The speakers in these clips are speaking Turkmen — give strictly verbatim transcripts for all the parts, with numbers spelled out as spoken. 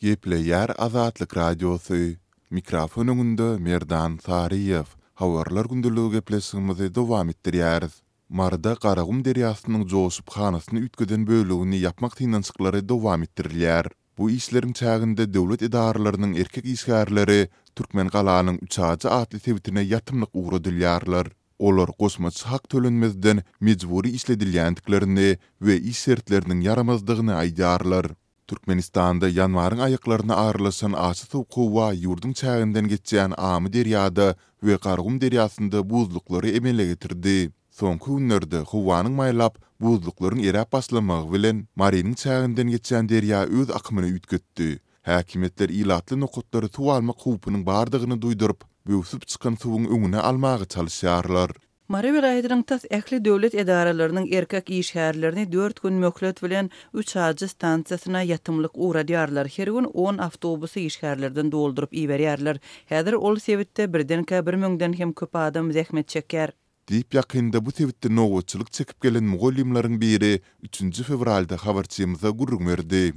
Gepleýär Azatlyk Radiosy. Mikrofon öňünde Merdan Saryýew. Habarlar gündeligi gepleşigimizi dowam etdirýäris. Maryda Garagum derýasynyň joşup hanasyny üýtgeden bölegini ýapmak synanyşyklary dowam etdirilýär. Bu işleriň çäginde döwlet edaralarynyň erkek işgärleri Türkmengalanyň Üçajy atly sebitine ýatymlyk ugradylýarlar. Olar goşmaça hak tölenmezden mejbury işledilýändiklerini we iş şertleriniň ýaramazdygyny aýdýarlar. Türkmenistanda ýanwaryň aýaklaryna aralaşan aşa sowuk howa ýurduň çäginden geçýän Amyderýada we Garagum derýasynda buzluklary emele getirdi. Soňky günlerde howanyň maýlap, buzluklaryň eräp başlamagy bilen, Marynyň çäginden geçýän derýa öz akymyny üýtgetdi. Häkimiýetler ilatly nokatlary suw almak howpunyň bardygyny duýduryp, böwsüp çykan suwuň öňüni almaga çalyşýarlar. Mary welaýatynyň tas ähli döwlet edaralarynyň erkek işgärlerini dört gün möhlet bilen Üçajy stansiýasyna ýatymlyk ugradýarlar. Her gün on awtobusy işgärlerden dolduryp iberýärler. Häzir ol sebitde birdenkä bir müňden hem köp adam zähmet çekýär. Diýip, ýakynda bu sebitde nobatçylyk çekip gelen mugallymlaryň biri üçünji fewralda habarçymyza gürrüň berdi.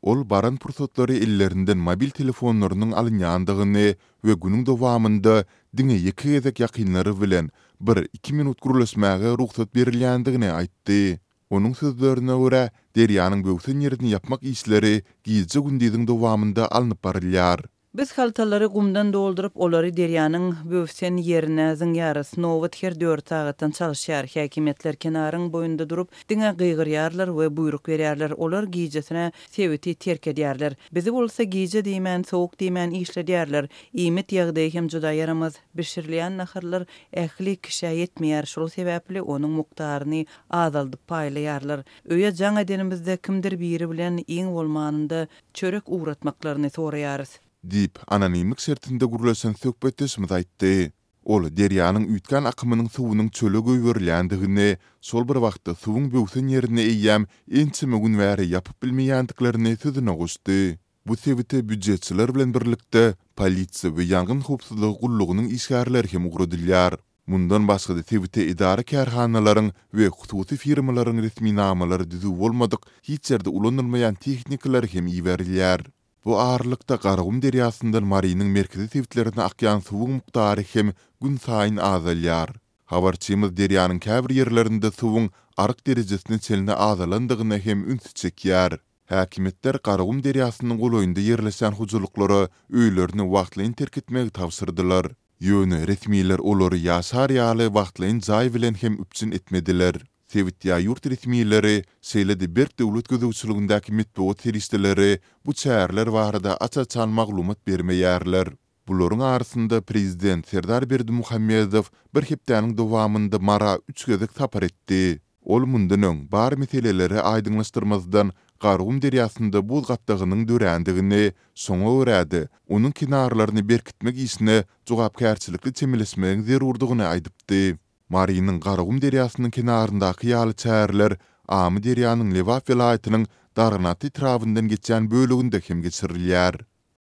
Ol baran pursatlary ellerinden mobil telefonlarynyň alynýandygyny we günüň dowamynda diňe ýeke gezek ýakynlary bilen bir-iki minut gürleşmäge rugsat berilýändigini aýtdy. Onuň sözlerine görä, derýanyň böwsen ýerini ýapmak işleri gije-gündiziň dowamynda alnyp barylýar. Biz haltalary gumdan dolduryp, olary derýanyň böwsen ýerine zyňýarys. Nobat her dört sagatdan çalyşýar. Häkimiýetler kenaryň boýunda durup, diňe gygyrýarlar we buýruk berýärler. Olar gijesine sebiti terk edýärler. Bizi bolsa gije diýmän, sowuk diýmän işledýärler. Iýmit ýagdaýy hem juda ýaramaz. Bişirilýän naharlar ähli kişä ýetmeýär, şol sebäpli onuň mukdaryny azaldyp paýlaýarlar. Öýe jaň edenimizde kimdir biri bilen iň bolmanynda çörek ugratmaklaryny soraýarys. Diýip, anonimlik şertinde gürleşen söhbetdeşimiz aýtdy. Ol derýanyň üýtgän akymynyň suwunyň çöle goýberilýändigini, şol bir wagtda suwuň böwsen ýerini eýýäm ençeme gün bäri ýapyp bilmeýändiklerini sözüne goşdy. Bu sebite býujetçiler bilen birlikde polisiýa we ýangyn howpsuzlygy gullugynyň işgärleri hem ugradylýar. Mundan başga-da sebite edara-kärhanalaryň we hususy firmalaryň resminamalary düzüw bolmadyk, hiç ýerde ulanylmaýan tehnikalary hem iberilýär. Bu aralykda Garagum derýasyndan Marynyň merkezi sebitlerine akýan suwuň mukdary hem günsaýyn azalýar. Habarçymyz derýanyň käbir ýerlerinde suwuň aryk derejesine çenli azalandygyna hem ünsi çekýär. Häkimiýetler Garagum derýasynyň golaýynda ýerleşýän hojalyklara öýlerini wagtlaýyn terk etmegi tabşyrdylar. Ýöne resmiler olary ýaşar ýaly wagtlaýyn jaý bilen hem üpjün etmediler. Sebit ýa ýurt resmileri, şeýle-de berk döwlet gözegçiligindäki metbugat serişdeleri bu çäreler barada aç-açan maglumat bermeýärler. Bularyň arasynda prezident Serdar Berdimuhamedow bir hepdäniň dowamynda Mara üç gezek sapar etdi. Ol mundan öň bar meseleleri aýdyňlaşdyrmazdan Garagum derýasynda buz gatlagynyň dörändigini, şoňa görä-de, onuň kenarlaryny berkitmek işine jogapkärçilikli çemeleşmegiň zerurdygyny aýdypdy. Marynyň Garagum derýasynyň kenaryndaky ýaly çäreler Amyderýanyň Lebap welaýatynyň Darganata etrabyndan geçýän böleginde hem geçirilýär.